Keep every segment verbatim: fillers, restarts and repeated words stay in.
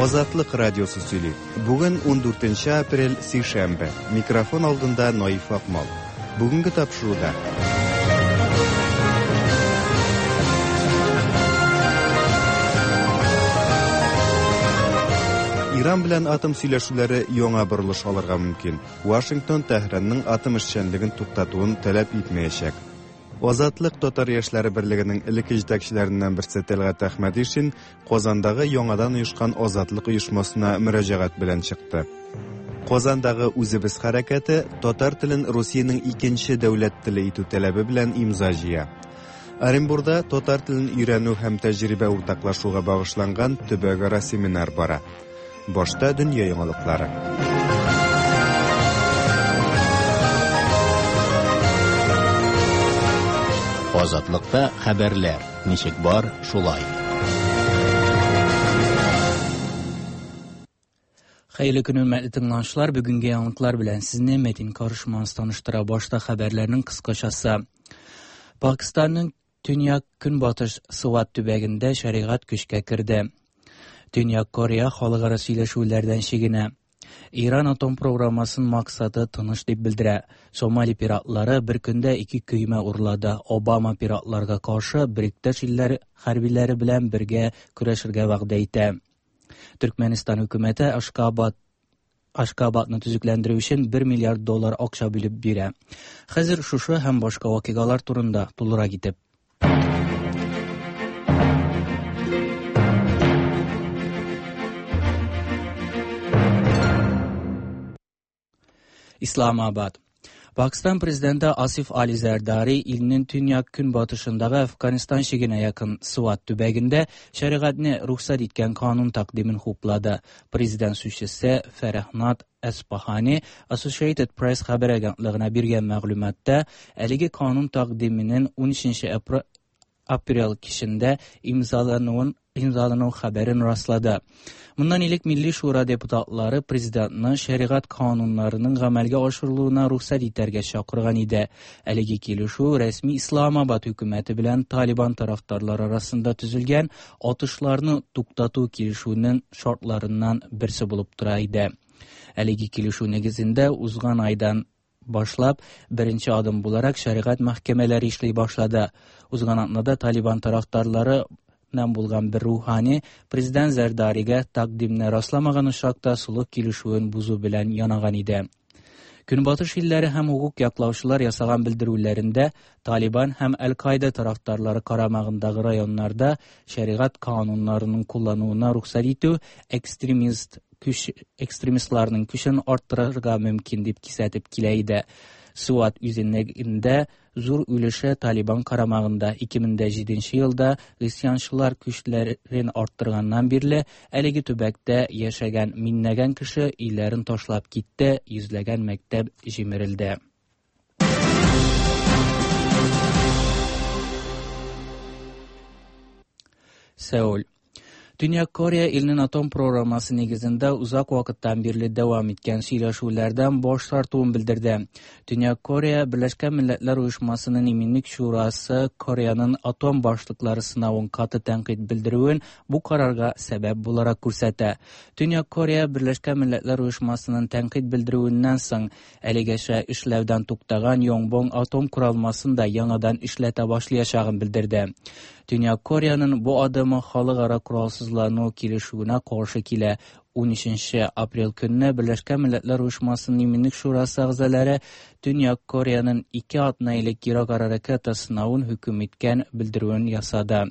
Азатлык радиосы сөйли. Бүген ундүртенче апрель, сишәмбе. Микрофон алдында Наиф Акмал. Бүгенге тапшыруда Иран белән атом сөйләшүләре яңа борылыш алырга мөмкин. Вашингтон Тәһранның атом эшчәнлеген туктатуын таләп итмәячәк. Азатлык татар яшьләре берлегенең элекке җитәкчеләреннән берсе Тәлгать Әхмәдишин Казандагы яңадан оешкан Азатлык оешмасына мөрәҗәгать белән чыкты. Казандагы Үзебез хәрәкәте татар телен Русиянең икенче дәүләт теле итү таләбе белән имза җыя. Оренбурда татар телен өйрәнү һәм тәҗрибә уртаклашуга багышланган төбәкара семинар бара. Башта дөнья яңалыклары. Азатлыкта хәбәрләр ничек бар, шулай. Хәерле көн, хөрмәтле тыңлаучылар. Бүгенге яңалыклар белән сезне Метин Карышманс таныштыра. Башта хәбәрләрнең кыскачасы. Пакистанның төньяк көнбатыш Сват төбәгендә шәригать көчкә керде. Төньяк Корея халыкара сөйләшүләрдән чигенә. Иран атом программасының максаты тыныч дип белдерә. Сомали пиратлары бер көндә ике көймә урлады. Обама пиратларга каршы Биректәш илләр хәрбиләре белән бергә көрәшергә вәгъдә итә. Төркмәнстан хөкүмәте Ашкабад Ашкабадны төзекләндерү өчен бер миллиард доллар акча бүлеп бирә. Хәзер шушы һәм башка вакыйгалар турында тулырак итеп. Islamabad. Pakistan Prezidenti Asif Ali Zerdari ilinin tünyak günbatışındakı Afganistan şigine yakın Swat tübeginde şeriatni ruhsat etken kanun takdimin hupladı. Prezident sözcüsü Ferahnat Esbahani Associated Press haber agentlığına bergen ma'lumotda әлеге kanun takdiminin on üçüncü aprel kişinde imzalanıvın imzalanıv xəbərin rastladı. Bundan ilk Milli Şura deputatları prezidentni şəriət kanunlarının əməlgə aşırılığına ruxsat etərgə çağırğan idi. Әлеге килешү rəsmi İslamabad hökuməti bilan Taliban tarafdarları arasında tüzülgən atışlarını tuqtatu килешүенең şartlarından birisi булып тора иде. Әлеге килешү нигезендә узган айдан башлап беренче адым буларак шәриғат мәхкәмәләре эшли башлады. Узган атнада Талибан тарафдарлары булган бер рухани президент Зәрдаригә тәкъдимне расламаган очракта сулык килешүен бузу белән янаган иде. Көнбатыш илләре һәм хукук яклаучылар ясаган белдерүләрендә Талибан һәм Әл-Каида тарафдарлары карамагындагы районнарда шәригать кануннарының куллануына рөхсәт итү экстремист күч экстремистларның көчен арттырырга мөмкин дип кисәтеп килә иде. Суат үзенлегендә зур өлеше Талибан карамагында ике мең җиденче елда гыйсьянчылар көчләрен арттырганнан бирле әлеге төбәктә яшәгән миңнәгән кеше өйләрен ташлап китте, йөзләгән мәктәп җимерелде. Сеул. Dünya Koreya ilinin atom programması negizində uzaq vaqtdan beri davam etken сөйләшүләрдән баш тартуын bildirdi. Dünya Koreya Birleşken Milletler Uyuşmasının Eminlik Şurası Koreyanın atom başlıqları sınavın katı tənqid bildirüvün bu kararga səbəb bularaq күрсәтә. Dünya Koreya Birleşken Milletler Uyuşmasının tənqid bildirüvündən soң әлегәчә эшләүдән туктаган Yongbyon atom kuralmasını da яңадан эшләтә башлаячагын bildirdi. Dünya Koreyanın bu adımı халыкара коралсызлану килешүенә каршы килә. он өченче апрель көнне Берләшкән Милләтләр Оешмасының Иминлек Шурасы әгъзалары Төньяк Кореяның ике атна элек ерак-ара ракета сынавын хөкем иткән белдерүен ясады.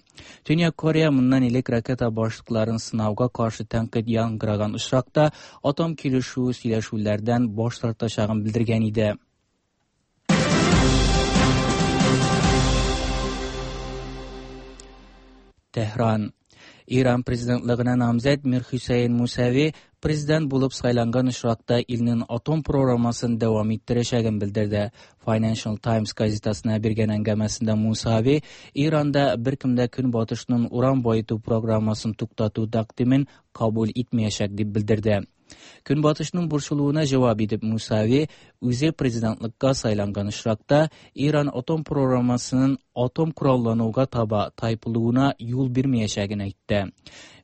Төньяк Корея моннан элек ракета башлыкларын сынауга каршы тәнкыйть яңгыраган очракта атом килешүе сөйләшүләрдән баш тартачагын белдергән иде. Tehran. İran prezidentlığına namzet Mir Hüseyin Musavi prezident bulup saylangan очракта илнең атом программасын дәвам иттерәчәген белдерде. Financial Times газетасына биргән әңгәмәсендә Мусави Иранда беркем дә Көнбатышның уран байыту программасын туктату тәкъдимен кабул итмәячәк дип белдерде. Көнбатышның борчылуына җавап итеп Мусави үзе президентлыкка сайланган очракта Иран атом программасының атом кораллануга таба тайпылуына юл бирмәячәген әйтте.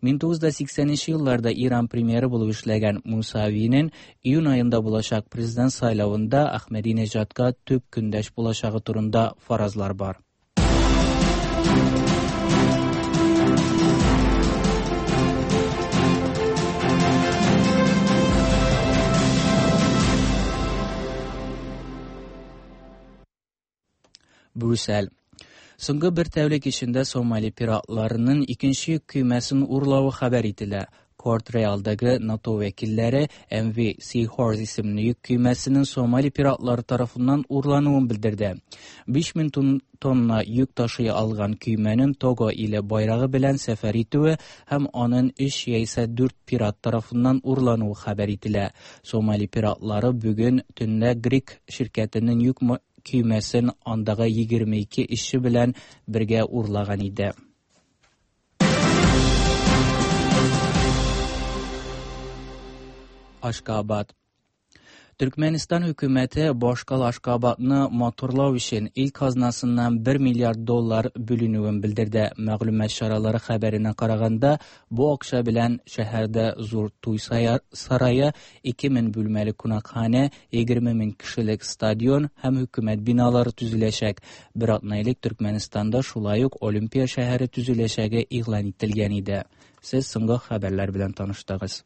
мең тугыз йөз сиксәненче елларда Иран премьеры булып эшләгән Мусавиның июнь аенда булачак президент сайлавында Ахмадинежадка төп көндәш булачагы турында фаразлар бар. Brüssel. Соңгы бер тәүлек эчендә Сомали пиратларының икенче йөк көймәсен урлавы хәбәр ителә. Корт Реалдагы НАТО вәкилләре эм ви Seahorse исемле йөк көймәсенең Сомали пиратлары тарафыннан урлануын белдерде. биш мең тонна йөк ташый алган көймәнең Того иле байрагы белән сәфәр итүе һәм аның өч яисә дүрт пират тарафыннан урлануы хәбәр ителә. Сомали пиратлары бүген төнлә Грек ширкәтенең йөк көймәсен андагы егерме ике эшче белән бергә урлаган иде. Ашкабад. Türkmenistan hükümeti башкала Ашкабадны матурлау өчен ил казнасыннан бер миллиард доллар бүленүен белдерде. Мәгълүмат чаралары хәбәренә караганда, бу акча белән шәһәрдә зур туй сарае, ике мең бүлмәле кунакханә, егерме мең кешелек стадион һәм хөкүмәт биналары төзеләчәк. Бер атна элек Төркмәнстанда шулай ук Олимпия шәһәре төзеләчәге игълан ителгән иде. Сез соңгы хәбәрләр белән таныштыгыз.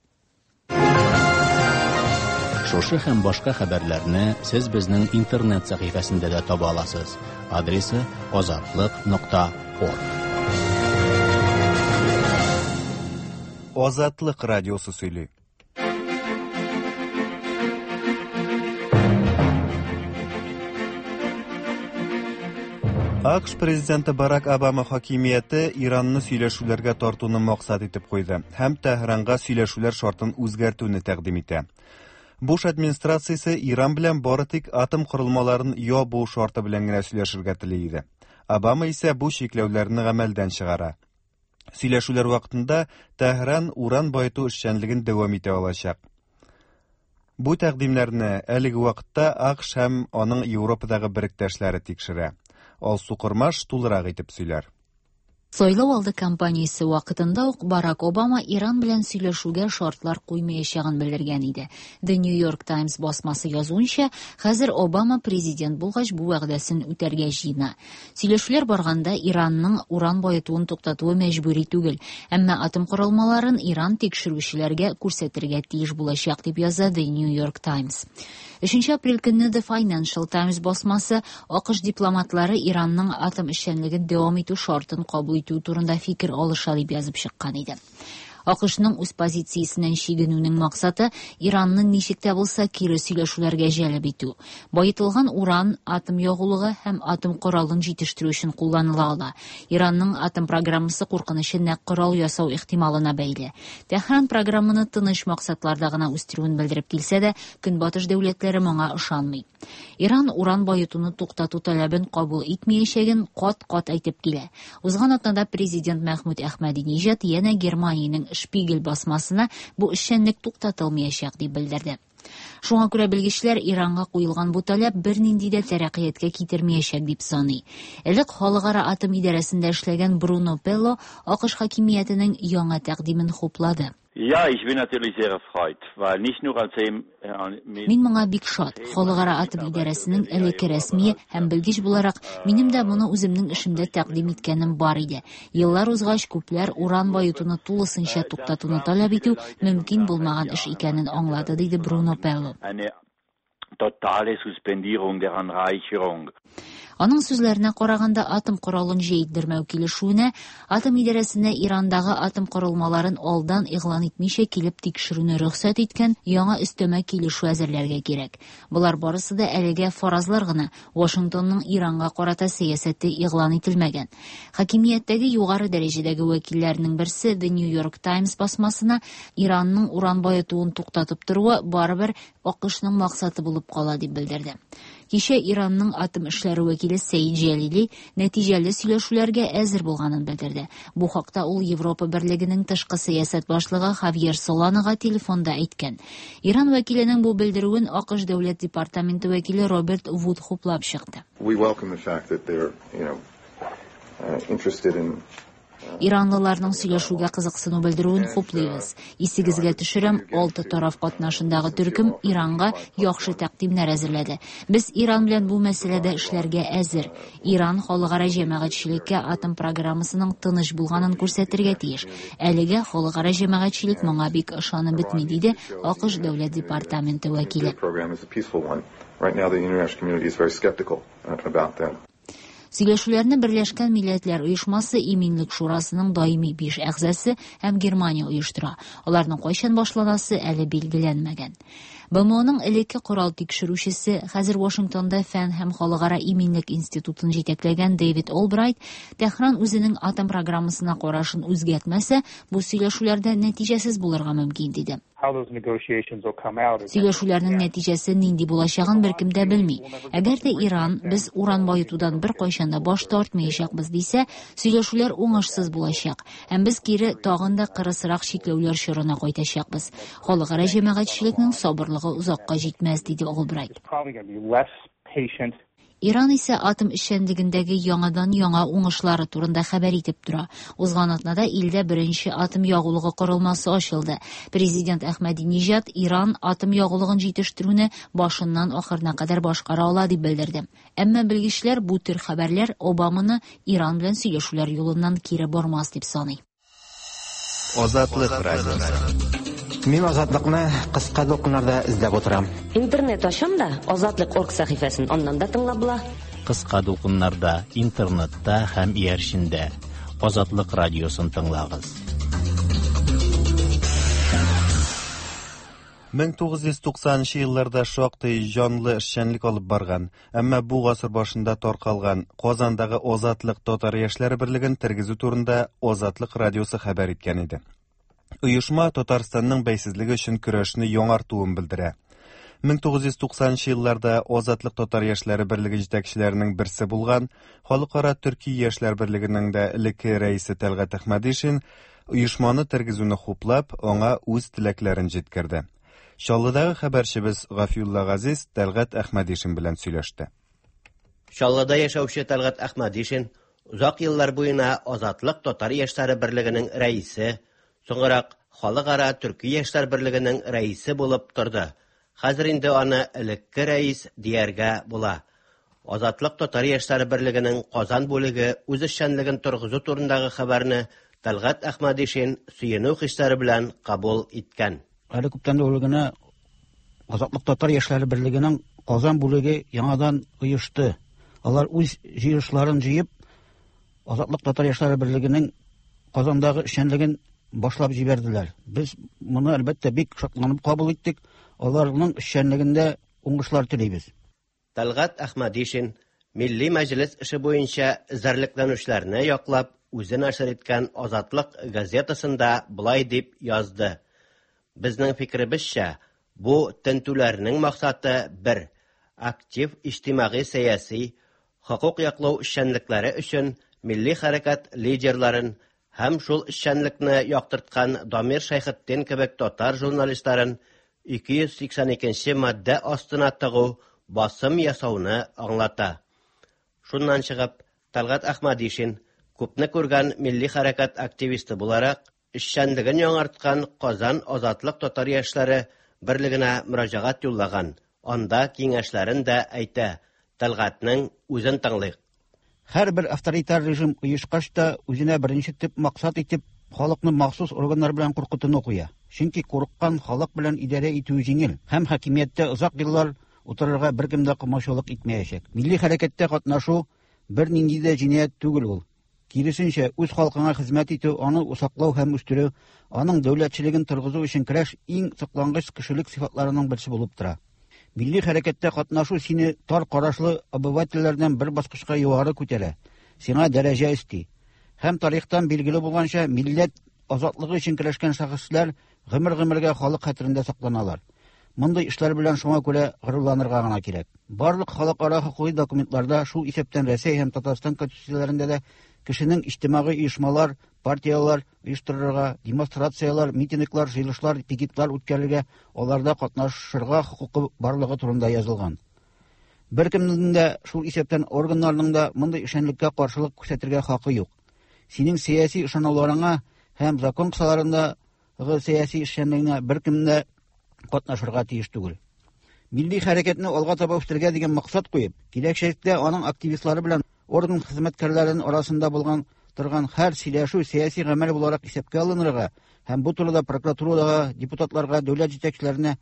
Шушы һәм башка хәбәрләрне сез безнең интернет сәхифәсендә дә таба аласыз. Адресы азатлык нокта орг. Азатлык радиосы сөйли. АКШ президенты Барак Обама хакимияте Иранны сөйләшүләргә тартуны максат итеп куйды һәм Тәһранга сөйләшүләр шартын үзгәртүне тәкъдим итә. Буш администрациясе Иран белән бары тик атом корылмаларын ябу шарты белән генә сөйләшергә тели иде. Обама исә бу чикләүләрне гамәлдән чыгара. Сөйләшүләр вакытында Тәһран уран баету эшчәнлеген дәвам итә алачак. Бу тәкъдимнәрне әлеге вакытта АКШ һәм аның Европадагы беректәшләре тикшерә. Алсу Кормаш тулырак итеп сөйләр. Сайлау алды кампаниясе вакытында ук Барак Обама Иран белән сөйләшүгә шартлар куймаячагын белдергән иде. The New York Times басмасы язуынча, хәзер Обама президент булгач бу вәгъдәсен үтәргә җыена. Сөйләшүләр барганда Иранның уран баетуын туктатуы мәҗбүри түгел, әмма атом корылмаларын Иран тикшерүчеләргә күрсәтергә тиеш булачак дип яза The New York Times. Өченче апрель көнне The Financial Times басмасы АКШ дипломатлары Иранның атом эшчәнлеген дәвам итү шартын кабул итү турында фикер алыша дип язып чыккан иде. АКШның үз позициясеннән чигенүнең максаты Иранны ничек тә булса кире сөйләшүләргә җәлеп итү. Баетылган уран атом ягулыгы һәм атом коралын җитештерү өчен кулланыла ала. Иранның атом программасы куркынычы нәкъ корал ясау ихтималына бәйле. Тәһран программаны тыныч максатларда гына үстерүен белдереп килсә дә, Көнбатыш дәүләтләре моңа ышанмый. Иран уран баетуны туктату таләбен кабул итмәячәген кат-кат әйтеп килә. Узган атнада президент Мәхмүд Әхмәдинежад янә Германиянең Шпигель басмасына бу эшчәнлек туктатылмаячак дип белдерде. Шуңа күрә белгечләр Иранга куелган бу таләп бернинди дә тәрәккыятькә китермәячәк дип саный. Элек Халыкара атом идарәсендә эшләгән Бруно Пелло АКШ хакимиятенең яңа тәкъдимен хуплады. Ja, ich bin natürlich sehr erfreut, weil nicht nur als Мин моңа бик шат. Халыкара атом идарәсенең элекке рәсми һәм белгеч буларак минем дә моны үземнең эшемдә тәкъдим иткәнем бар иде. Еллар узгач күпләр уран баетуны тулысынча туктатуны таләп итү мөмкин булмаган эш икәнен аңлады, диде Бруно Пелло. Totale Suspendierung der Anreicherung. Аның сүзләренә караганда, атом коралын җәйдермәү килешүенә атом идарәсенә Ирандагы атом корылмаларын алдан игълан итмичә килеп тикшерүне рөхсәт иткән яңа өстәмә килешү әзерләргә кирәк. Болар барысы да әлегә фаразлар гына. Вашингтонның Иранга карата сәясәте игълан ителмәгән. Хакимияттәге югары дәрәҗәдәге вәкилләрнең берсе The New York Times басмасына Иранның уран баетуын туктатып торуы барыбер АКШның максаты булып кала дип белдерде. Кичә Иранның атом эшләре вәкиле Сәид Җәлили нәтиҗәле сөйләшүләргә әзер булганын белдерде. Бу хакта ул Европа Берлегенең тышкы сәясәт башлыгы Хавьер Соланага телефонда әйткән. Иран вәкиленең бу белдерүен А К Ш Дәүләт департаменты вәкиле Роберт Вуд хуплап чыкты. We welcome the fact that they're, you know, uh, interested in Иранлыларның сөйләшүгә кызыксыну белдерүен хуплыйбыз. Исегезгә төшерәм, алты тараф катнашындагы төркем Иранга яхшы тәкъдимнәр әзерләде. Без Иран белән бу мәсьәләдә эшләргә әзер. Иран халыкара җәмәгатьчелеккә атом программасының тыныч булганын күрсәтергә тиеш. Әлегә халыкара җәмәгатьчелек моңа бик ышанып бетми, диде А К Ш Дәүләт департаменты вәкиле. Program is a peaceful one. Right now, the international community is very skeptical uh, about that. Сөйләшүләрне Берләшкән Милләтләр Оешмасы Иминлек Шурасының даими биш әгъзасы һәм Германия оештыра. Аларның кайчан башланасы әле билгеләнмәгән. Б М Оның элекке корал тикшерүчесе, хәзер Вашингтонда Фән һәм халыкара иминлек институтын җитәкләгән Дэвид Олбрайт, Тәһран үзенең атом программасына карашын үзгәртмәсә, бу сөйләшүләрдә нәтиҗәсез булырга мөмкин, диде. Сөйләшүләрнең нәтиҗәсе нинди булачагын беркем дә белми. Әгәр дә Иран без уран баетудан беркайчан да баш тартмаячакбыз дисә, сөйләшүләр уңышсыз булачак. Һәм без кире тагын да кырысрак чикләүләр чорына кайтачакбыз. Халыкара җәмәгатьчелекнең сабырлыгы озакка җитмәс, диде Олбрайт. Иран исә атом эшчәнлегендәге яңадан-яңа уңышлары турында хәбәр итеп тора. Узган атнада илдә беренче атом ягулыгы корылмасы ачылды. Президент Әхмәдиниҗад Иран атом ягулыгын җитештерүне башыннан ахырына кадәр башкара ала дип белдерде. Әмма белгечләр бу төр хәбәрләр Обаманы Иран белән сөйләшүләр юлыннан кире бормас дип саный. Азатлык радиосы. Мин Азатлыкны кыска дулкыннарда эзләп утырам. Интернет ачам да, Азатлык орг сәхифәсен аннан да тыңлап була. Кыска дулкыннарда, интернетта һәм иярчендә Азатлык радиосын тыңлагыз. мең тугыз йөз туксанынчы елларда шактый җанлы эшчәнлек алып барган, әмма бу гасыр башында таркалган Казандагы Азатлык татар яшьләре берлеген тергезү турында Азатлык радиосы хәбәр иткән иде. Оешма Татарстанның бәйсезлеге өчен көрәшне яңартуын белдерә. мең тугыз йөз туксанынчы елларда Азатлык татар яшьләре берлеге җитәкчеләренең берсе булган Халыкара Төрки яшьләр берлегенең дә элекке рәисе Тәлгать Әхмәдишин оешманы тергезүне хуплап, аңа үз теләкләрен җиткерде. Чаллыдагы хәбәрчебез Гафиулла Газиз Тәлгать Әхмәдишин белән сөйләште. Чаллыда яшәүче Тәлгать Әхмәдишин озак еллар буена Азатлык татар яшьләре берлегенең рәисе, соңрак Халыкара Төрки яшьләр берлегенең рәисе булып торды. Хәзер инде аны элекке рәис дияргә була. Азатлык татар яшьләре берлегенең Казан бүлеге үз эшчәнлеген торгызу турындагы хәбәрне Тәлгать Әхмәдишин сөенү хисләре белән кабул иткән. Әле күптән түгел генә Азатлык татар яшьләре берлегенең Казан бүлеге яңадан оешты. Алар үз җыелышларын җыеп, Азатлык татар яшьләре берлегенең Казандагы эшчәнлеген башлап җибәрделәр. Без моны әлбәттә бик шатланып кабул иттек. Аларның эшчәнлегендә уңышлар телибез. Тәлгать Әхмәдишин Милли Мәҗлес эше буенча эзәрлекләнүчеләрне яклап, үзе нәшер иткән Азатлык газетасында болай дип язды: "Безнең фикеребезчә, бу тентүләрнең максаты бер: актив иҗтимагый сәяси, хокук яклау эшчәнлекләре өчен милли хәрәкәт лидерларын һәм шул эшчәнлекне яктырткан Дамир Шәйхетдин кебек татар журналистларын ике йөз сиксән икенче маддә астына тыгу, басым ясауны аңлата." Шуннан чыгып, Тәлгать Әхмәдишин күпне күргән милли хәрәкәт активисты буларак, эшчәнлеген яңарткан Казан Азатлык татар яшьләре берлегенә мөрәҗәгать юллаган. Анда киңәшләрен дә әйтә. Тәлгатьнең үзен тыңлыйк. Һәрбер авторитар режим оешкач та үзенә беренче төп максат итеп халыкны махсус органнар белән куркытуны куя. Чөнки курыккан халык белән идарә итү җиңел һәм хакимияттә озак еллар утырырга беркем дә комачаулык итмәячәк. Милли хәрәкәттә катнашу бернинди дә җинаять түгел ул. Киресенчә, үз халкыңа хезмәт итү, аны саклау һәм үстерү, аның дәүләтчелеген торгызу өчен көрәш иң соклангыч кешелек сыйфатларының берсе булып тора. Милли хәрәкәттә катнашу сине тар карашлы обывательләрдән бер баскычка югары күтәрә, сиңа дәрәҗә өсти. Һәм тарихтан билгеле булганча, милләт азатлыгы өчен көрәшкән шәхесләр гомер-гомергә халык хәтерендә сакланалар. Мондый эшләр белән шуңа күрә горурланырга гына кирәк. Барлык халыкара хокукый документларда, шул исәптән Рәсәй һәм Татарстан конституцияләрендә дә кешенең иҗтимагый оешмалар, партияләр оештырырга, демонстрацияләр, митинглар, җыелышлар, пикетлар үткәрергә, аларда катнашырга хокукы барлыгы турында язылган. Беркемнең дә, шул исәптән органнарның да мондый эшчәнлеккә каршылык күрсәтергә хакы юк. Синең сәяси ышануларыңа һәм закон кысаларындагы сәяси эшчәнлегеңә беркем дә катнашырга тиеш түгел. Милли хәрәкәтне алга таба үстерергә дигән максат куеп, киләчәктә аның активистлары белән орган хезмәткәрләренең арасында булган торган һәр сөйләшү сәяси гамәл буларак исәпкә алынырга һәм бу турыда прокуратурага, депутатларга, дәүләт җитәкчеләренә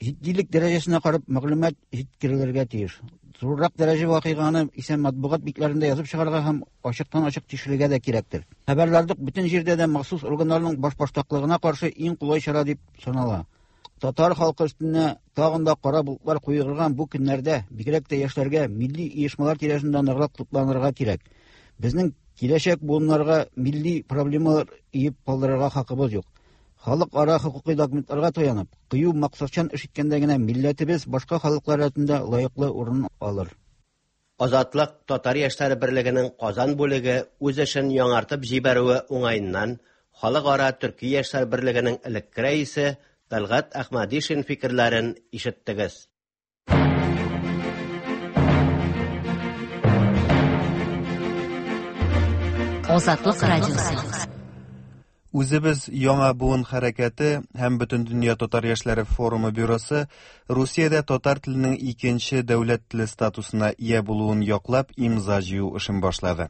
җитдилек дәрәҗәсенә карап мәгълүмат җиткерелергә тиеш. Зуррак дәрәҗә вакыйганы исә матбугат битләрендә язып чыгарга һәм ачыктан-ачык тикшерергә дә кирәктер. Хәбәрләрдә бөтен җирдә дә махсус органнарның башбаштаклыгына каршы иң кулай чара дип санала. Татар халкы өстенә тагын да кара болытлар куерган бу көннәрдә бигрәк тә яшьләргә милли оешмалар тирәсендә ныграк тупланырга кирәк. Безнең киләчәк буыннарга милли проблемалар иеп калдырырга хакыбыз юк. Халыкара хокукый документларга таянып, кыю максатчан эш иткәндә генә милләтебез башка халыклар рәтендә лаеклы урын алыр. Азатлык Татар яшьләре берлегенең Казан бүлеге үз эшен яңартып җибәрүе уңаеннан Халыкара Төрки яшьләр берлегенең элекке рәисе Тәлгать Әхмәдишин фикерләрен ишеттегез. Азатлык радиосы. Үзебез яңа буын хәрәкәте һәм Бөтендөнья татар яшьләре форумы бюросы Русиядә татар теленең икенче дәүләт теле статусына ия булуын яклап имза җыю эшен башлады.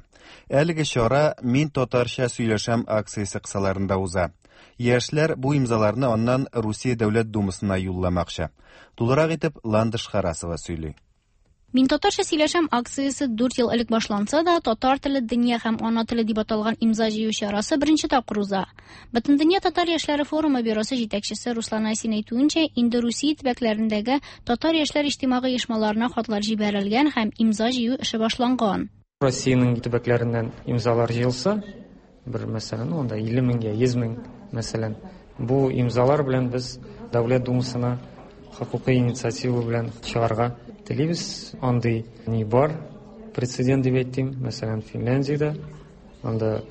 Әлеге чара «Мин татарча сөйләшәм» акциясе кысаларында уза. Яшьләр бу имзаларны аннан Русия Дәүләт Думасына юлламакчы. Тулырак итеп Ландыш Харасова сөйли. Мин татарча сөйләшәм акциясе дүрт ел элек башланса да, татар теле дөнья һәм ана теле дип аталган имза җыю чарасы беренче тапкыр уза. Бөтендөнья татар яшьләре форумы бюросы җитәкчесе Руслан Айсин әйтүенчә, инде Русия төбәкләрендәге татар яшьләр иҗтимагый оешмаларына хатлар җибәрелгән һәм имза җыю эше башланган. Россиянең төбәкләреннән имзалар җыелса, бер мәсәлән, анда илле меңгә, йөз мең мәсәлән, бу имзалар белән без Дәүләт Думасына хокукый инициатива белән чыгарга телибез. Андый ни бар, прецедент дип әйтим, мәсәлән, Финляндиядә анда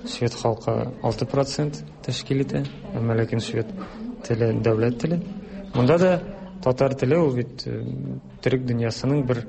швед халкы алты процент тәшкил итә, әмма ләкин швед теле дәүләт теле. Монда да татар теле ул бит төрек дөньясының бер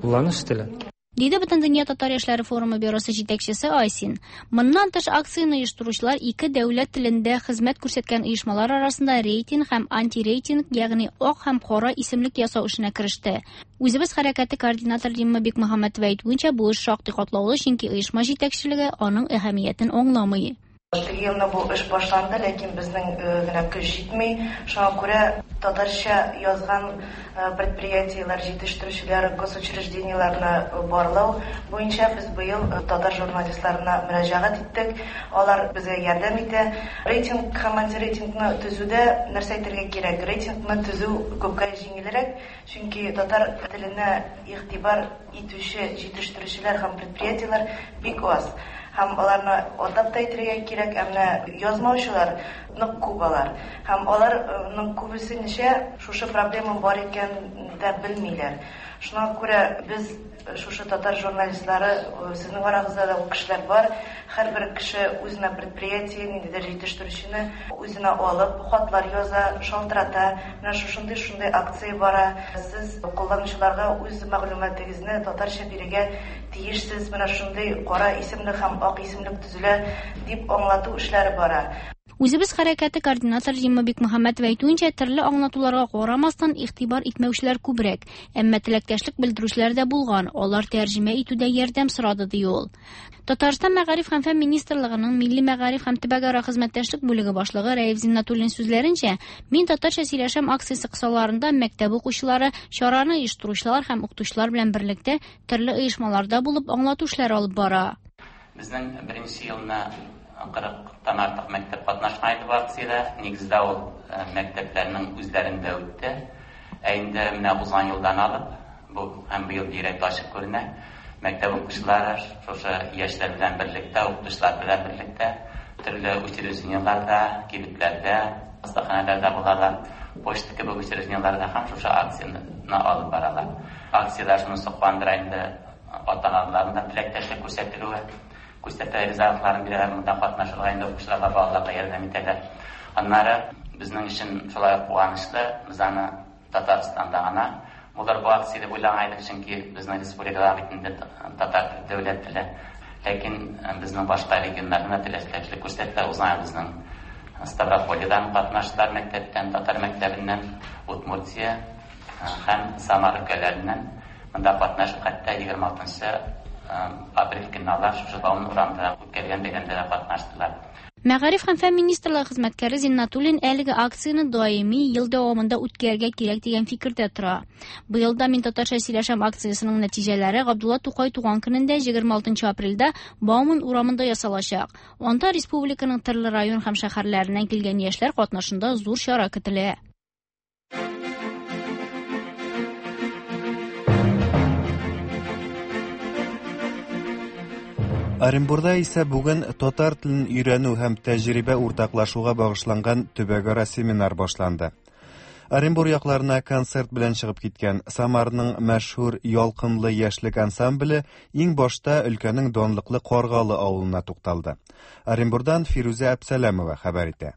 кулланыш теле. Диде Бөтендөнья татар яшьләре форумы бюросы җитәкчесе Айсин. Моннан тыш акцияне оештыручылар ике дәүләт телендә хезмәт күрсәткән оешмалар арасында рейтинг һәм антирейтинг, ягъни ак һәм кара исемлек ясау эшенә кереште. Үзебез хәрәкәте координаторы Римма Бикмөхәммәтова әйтүенчә, бу эш шактый катлаулы, чөнки оешма җитәкчелеге аның әһәмиятен аңламый. Теге елны бу эш башланды, ләкин безнең генә көч җитми. Шуңа күрә татарча язган предприятиеләр, җитештерүчеләр, госучреждениеләрне барлау буенча без быел татар журналистларына мөрәҗәгать иттек. Алар безгә ярдәм итә. Рейтинг һәм антирейтингны төзүдә нәрсә әйтергә кирәк? Рейтингны төзү күпкә җиңелрәк, чөнки татар теленә игътибар итүче җитештерүчеләр һәм предприятиеләр бик аз. Һәм аларны атап та әйтергә кирәк, ә менә язмаучылар нык күп алар. Һәм аларның күбесенчә шушы проблема бар икәнен дә белмиләр. Шуңа күрә без шушы татар журналистлары, сезнең арагызда да ул кешеләр бар, һәрбер кеше үзенә предприятие, ниндидер җитештерүчене үзенә алып, хатлар яза, шалтырата. Менә шушындый шундый акция бара. Сез кулланучыларга үз мәгълүматыгызны татарча бирергә тиешсез. Менә шундый кара исемлек һәм ак исемлек төзелә дип аңлату эшләре бара. Үзебез хәрәкәте координаторы Римма Бикмөхәммәтова әйтүенчә, төрле аңлатуларга карамастан игътибар итмәүчеләр күбрәк, әмма теләктәшлек белдерүчеләр дә булган. Алар тәрҗемә итүдә ярдәм сорады, ди ул. Татарстан Мәгариф һәм фән министрлыгының Милли мәгариф һәм төбәкара хезмәттәшлек бүлеге башлыгы Рәиф Зиннатуллин сүзләренчә, «Мин татарча сөйләшәм» акциясе кысаларында мәктәп укучылары, чараны оештыручылар һәм укытучылар белән берлектә төрле оешмаларда булып аңлату эшләре алып бара. Безнең беренче елны кырыктан артык мәктәп катнашкан иде бу акциядә. Нигездә ул мәктәпләрнең үзләрендә үтте. Ә инде менә узган елдан алып, бу һәм быел бигрәк тә ачык күренә, мәктәп укучылары шушы яшьләр белән берлектә, укытучылар белән берлектә төрле учреждениеләрдә, кибетләрдә, хастаханәләрдә булалар. Почта кебек учреждениеләрдә һәм шушы акцияне алып баралар. Акциядә шунысы куандыра инде, ата-аналарның да теләктәшлек күрсәтелүе, күрсәтә ризалыкларын бирәләр, монда катнашырга инде укучыларга, балаларга ярдәм итәләр. Аннары безнең өчен шулай ук куанычлы, без аны Татарстанда гына булыр бу акция дип уйлаган идек, чөнки безнең республикада бит инде татар дәүләт теле. Ләкин безнең башка регионнарда теләктәшлек күрсәтелә. Узган безнең Ставропольедан катнаштылар, мәктәптән, татар мәктәбеннән, Удмуртия һәм Самара өлкәләреннән монда катнашып, хәтта егерме алтынчы апрель көнне алар шушы Бауман урамында үткәргән бәйрәмдә дә катнаштылар. Мәгариф һәм фән министрлыгы хезмәткәре Зиннатуллин әлеге акцияне даими ел дәвамында үткәрергә кирәк дигән фикердә тора. Быел да Мин татарча сөйләшәм акциясенең нәтиҗәләре Габдулла Тукай туган көнендә егерме алтынчы апрельдә Бауман урамында ясалачак. Анда республиканың төрле район һәм шәһәрләреннән килгән яшьләр катнашында зур чара көтелә. Оренбурда исә бүген татар телен өйрәнү һәм тәҗрибә уртаклашуга багышланган төбәкара семинар башланды. Оренбур якларына концерт белән чыгып киткән Самарның мәшһүр Ялкынлы яшьлек ансамбле иң башта өлкәнең данлыклы Каргалы авылына тукталды. Оренбурдан Фирүзә Әпсәләмова хәбәр итә.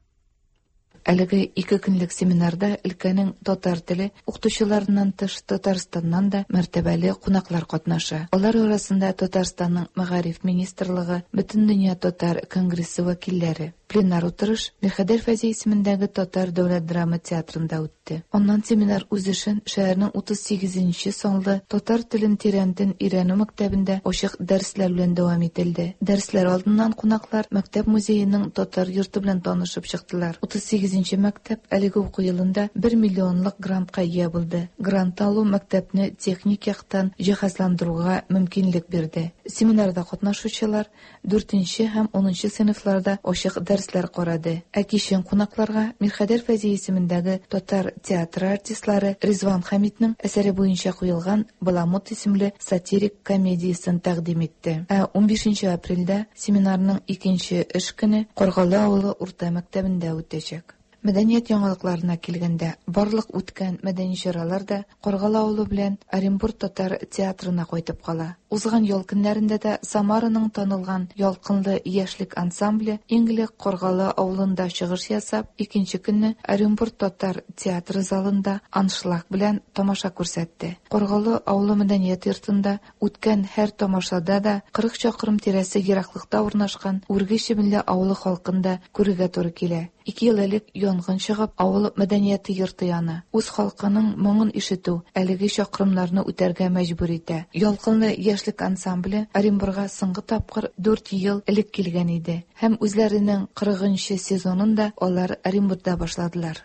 Әлеге ике көнлек семинарда өлкәнең татар теле укытучыларыннан тыш Татарстаннан да мәртәбәле кунаклар катнаша. Алар арасында Татарстанның Мәгариф министрлыгы, Бөтендөнья татар конгрессы вәкилләре. Пленар утырыш Мирхәйдәр Фәйзи исемендәге Татар дәүләт драма театрында үтте. Аннан семинар үз эшен шәһәрнең утыз сигезенче санлы татар телен тирәнтен өйрәнү мәктәбендә ачык дәресләр белән дәвам ителде. Дәресләр алдыннан кунаклар мәктәп музееның татар йорты белән танышып чыктылар. Утыз сигезенче мәктәп әлеге уку елында бер миллионлык грантка ия булды. Грант алу мәктәпне техник яктан җиһазландыруга мөмкинлек бирде. Семинарда катнашучылар дүртенче һәм унынчы сыйныфларда ачык дәресләр карады. Ә кичен кунакларга Мирхәйдәр Фәйзи исемендәге татар театры артистлары Ризван Хәмиднең әсәре буенча куелган Баламут исемле сатирик комедиясен тәкъдим итте. Ә унбишенче апрельдә семинарның икенче эш көне Каргалы авылы урта мәктәбендә үтәчәк. Мәдәният яңалыкларына килгәндә, барлык үткән мәдәни чаралар да Каргалы авылы белән Оренбур татар театрына кайтып кала. Узган ял көннәрендә дә Самараның танылган Ялкынлы яшьлек ансамбле иң элек Каргалы авылында чыгыш ясап, икенче көнне Оренбур татар театры залында аншлаг белән тамаша күрсәтте. Каргалы авылы мәдәният йортында үткән һәр тамашада да кырык чакрым тирәсе ераклыкта урнашкан Үрге Чебенле авылы халкын да күрергә туры килә. Ике ел элек янгын чыгып, авыл мәдәнияте йорты яна. Үз халкының моңын ишетү әлеге чакрымнарны үтәргә мәҗбүр итә. Ялкынлы яшьлек ансамбле Оренбурга соңгы тапкыр дүрт ел элек килгән иде һәм үзләренең кырыгынчы сезонын да алар Оренбургда башладылар.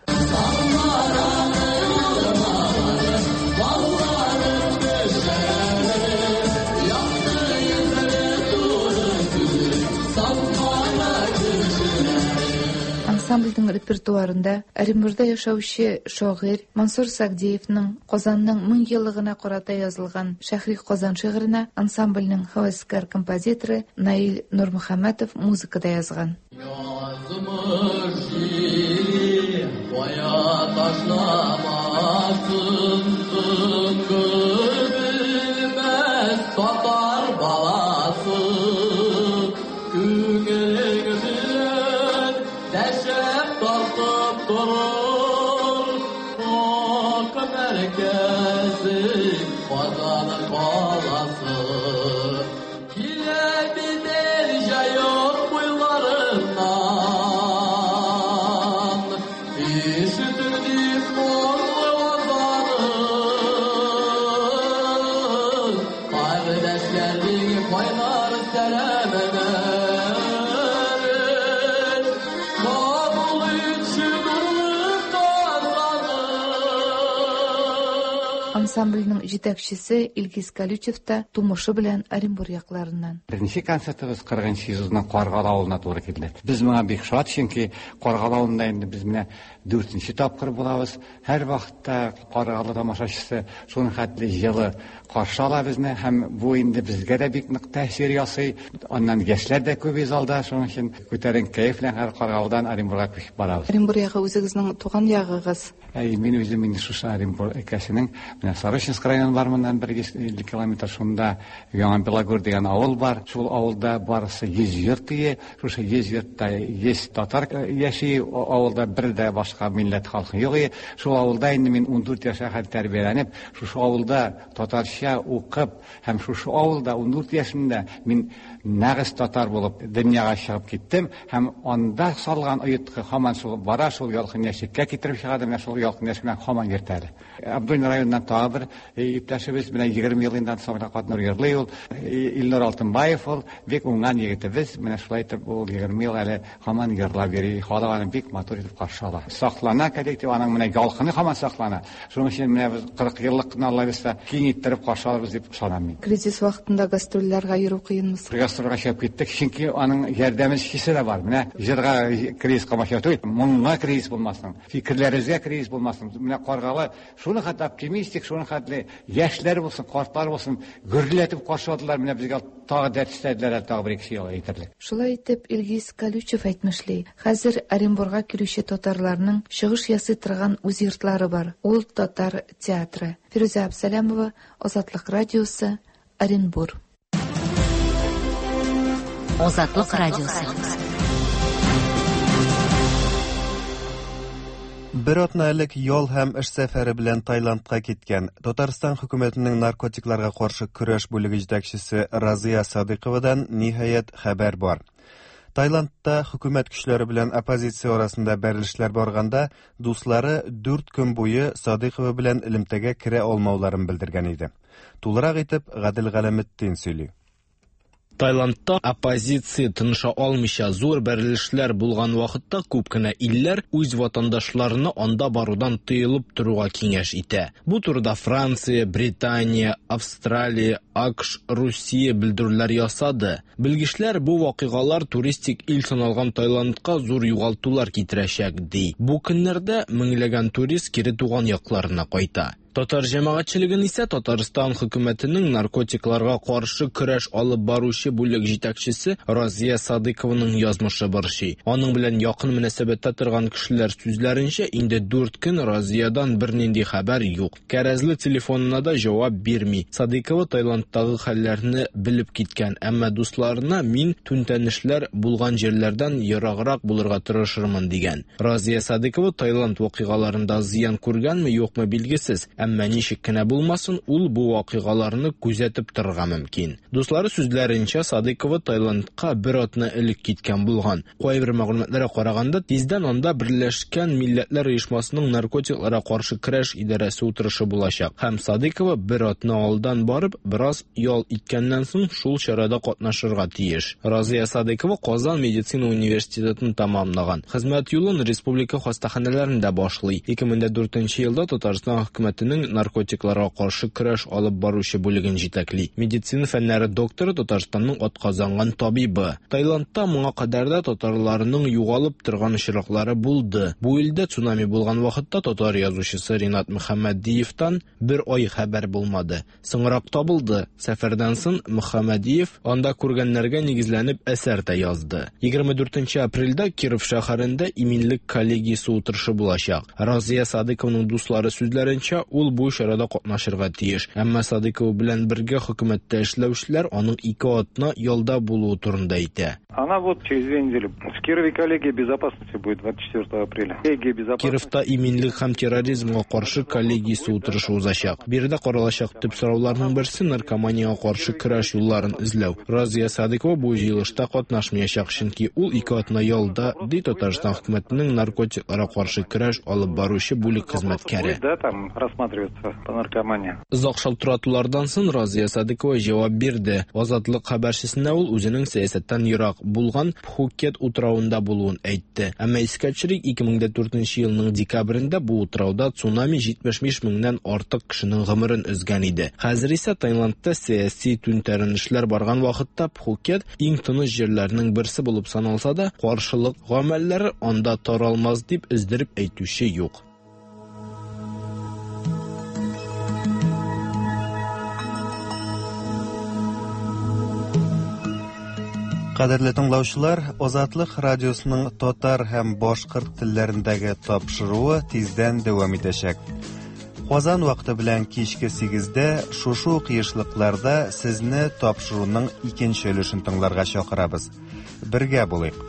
Ансамбльнең репертуарында Оренбургда яшәүче шагыйрь Мансур Сагдеевның Казанның мең еллыгына карата язылган Шәһри Казан шигыренә ансамбльнең һәвәскәр композиторы Наил Нурмөхәммәтов музыка да язган. Язмыш җиле кая ташламасын, тынгы белмәс татар баласы. Күңелең белән дәшеп тартып торыр, Ак мәркәзе Казан каласы. Килә бит җаек буйларыннан, ишетер дип моңлы азанын, кардәшләрнең кайнар сәламен. Ансамбльнең җитәкчесе Илгиз Калючев та тумышы белән Оренбур якларыннан. Беренче концертыбыз кырыгынчы елның Каргалы авылына туры килде. Без моңа бик шат, чөнки Каргалы авылында инде без менә дүртенче тапкыр булабыз. Һәр вакытта Каргалы тамашачысы шуның хәтле җылы каршы ала безне һәм бу инде безгә дә бик нык тәэсир ясый. Аннан яшьләр дә күп залда, шуның өчен күтәренке кәеф белән һәр Каргалыдан Оренбурга күчеп барабыз. Оренбур ягы үзегезнең туган ягыгыз? Әй, мин үзем инде шушы Оренбур өлкәсенең менә Сарышинск районы бар, моннан бер йөз илле километр шунда Яңа Белогор дигән авыл бар. Шул авылда барысы йөз йорт ие. Шушы йөз йортта йөз татар яши. Авылда бер дә башка милләт халкы юк ие. Шул авылда инде мин ундүрт яшькә хәтле тәрбияләнеп, шушы авылда татарча укып һәм шушы авылда ундүрт яшемдә мин нәгыз татар булып дөньяга чыгып киттем һәм анда салган оеткы һаман шул бара, шул ялкын яшькә китереп чыгарды, менә шул ялкын яшь белән һаман йөртә әле. Абдуллин районыннан тагы бер иптәшебез менә егерме ел инде ансамбльдә катнаш йырлый ул, Илнур Алтынбаев ул, бик уңган егетебез, менә шулай итеп ул егерме ел әле һаман йырлап йөри, халык аны бик матур итеп каршы ала. Саклана коллектив, аның менә ялкыны һаман саклана. Шуның өчен менә без кырык еллыкны Алла бирсә киң иттереп каршы алырбыз дип ышанам мин. Кризис вакытында гастрольләргә йөрү кыенмы? Гастрольгә чыгып киттек, чөнки аның ярдәмчесе дә бар. Менә җырга кризис камачау түгел, моңга кризис булмасын, фикерләребезгә кризис булмасын. Менә Каргалы шуны хәтле оптимистик, шуны хәтле яшьләр булсын, картлар булсын, гөрләтеп каршы алдылар. Менә безгә тагы дәрт өстәделәр, тагы бер ике ел әйтерлек. Шулай итеп, Илгиз Калючев әйтмешли, хәзер Оренбурга килүче татарларның чыгыш ясый торган үз йортлары бар. Ул татар театры. Фирүзә Абсалямова, Азатлык радиосы, Оренбур. Азатлык радиосы. Бер атна элек ял һәм эш сәфәре белән Таиландка киткән Татарстан хөкүмәтенең наркотикларга каршы көрәш бүлеге җитәкчесе Разия Садыковадан ниһаять хәбәр бар. Таиландта хөкүмәт көчләре белән оппозиция арасында бәрелешләр барганда дуслары дүрт көн буе Садыкова белән элемтәгә керә алмауларын белдергән иде. Тулырак итеп Гадел Галәметдин сөйли. Таиландта оппозиция тыныша алмыйча зур бәрелешләр булган вакытта күп кенә илләр үз ватандашларына анда барудан тыелып торуга киңәш итә. Бу турыда Франция, Британия, Австралия, АКШ, Русия белдерүләр ясады. Белгечләр бу вакыйгалар туристик ил саналган Таиландка зур югалтулар китерәчәк ди. Бу көннәрдә меңләгән турист кире туган якларына кайта. Татар җәмәгатьчелеген исә Татарстан хөкүмәтенең наркотикларга каршы көрәш алып баручы бүлек җитәкчесе Разия Садыкованың язмышы борчый. Аның белән якын мөнәсәбәттә торган кешеләр сүзләренчә, инде дүрт көн Разиядан бернинди хәбәр юк. Кәрәзле телефонына да җавап бирми. Садыкова Таиландтагы хәлләрне белеп киткән, әмма дусларына мин түнтәнешләр булган җирләрдән ераграк булырга тырышырмын дигән. Разия Садыкова Таиланд вакыйгаларында зыян күргәнме, юкмы билгесез. Әмма ничек кенә булмасын, ул бу вакыйгаларны күзәтеп торырга мөмкин. Дуслары сүзләренчә, Садыкова Таиландка бер атна элек киткән булган. Кайбер мәгълүматларга караганда, тиздән анда Берләшкән Милләтләр Оешмасының наркотикларга каршы көрәш идарәсе утырышы булачак. Һәм Садыкова бер атна алдан барып, бераз ял иткәннән соң шул чарада катнашырга тиеш. Разия Садыкова Казан медицина университетын тәмамлаган. Хезмәт юлын республика хастаханәләрендә башлый. ике мең дүртенче елда Татарстан хөкүмәтенең наркотикларга каршы көрәш алып баручы бүлеген җитәкли. Медицина фәннәре докторы, Татарстанның атказанган табибы. Таиландта моңа кадәр дә татарларның югалып торган очраклары булды. Бу илдә цунами булган вакытта татар язучысы Ринат Мөхәммәдиевтан бер ай хәбәр булмады. Соңрак табылды. Сәфәрдән соң Мөхәммәдиев анда күргәннәргә нигезләнеп әсәр дә язды. егерме дүртенче апрельдә Киров шәһәрендә иминлек коллегиясе утырышы булачак. Разия Садыкованың дуслары сүзләренчә, ул бу чарада катнашырга тиеш. Әмма Садыкова белән бергә хөкүмәттә эшләүчеләр аның ике атна ялда булуы турында әйтә. Она вот через две недели. В Кирове коллегия безопасности будет двадцать четвёртого апреля. Коллегия безопасности. Кировта иминлек һәм терроризмга каршы коллегиясе утырышы узачак. Биредә каралачак төп сорауларның берсе наркоманияга каршы көрәш юлларын эзләү. Разия Садыкова бу җыелышта катнашмаячак, чөнки ул ике атна ялда, ди Татарстан хөкүмәтенең наркотикларга каршы көрәш алып баручы бүлек хезмәткәре. Да, там рассматривать рассматриваться по наркомании. Озак шалтыратулардан соң Разия Садыкова җавап бирде. Азатлык хәбәрчесенә ул үзенең сәясәттән ерак булган Пхукет утравында булуын әйтте. Әмма искә төшерик, ике мең дә дүртенче елның декабрендә бу утрауда цунами җитмеш биш меңнән артык кешенең гомерен өзгән иде. Хәзер исә Таиландта сәяси түнтәренешләр барган вакытта Пхукет иң тыныч җирләрнең берсе булып саналса да, каршылык гамәлләре анда таралмас дип өздереп әйтүче юк. Кадерле тыңлаучылар, Азатлык радиосының татар һәм башкорт телләрендәге тапшыруы тиздән дәвам итәчәк. Казан вакыты белән кичке сигездә шушы ук ешлыкларда сезне тапшыруның икенче өлешен тыңларга чакырабыз. Бергә булыйк.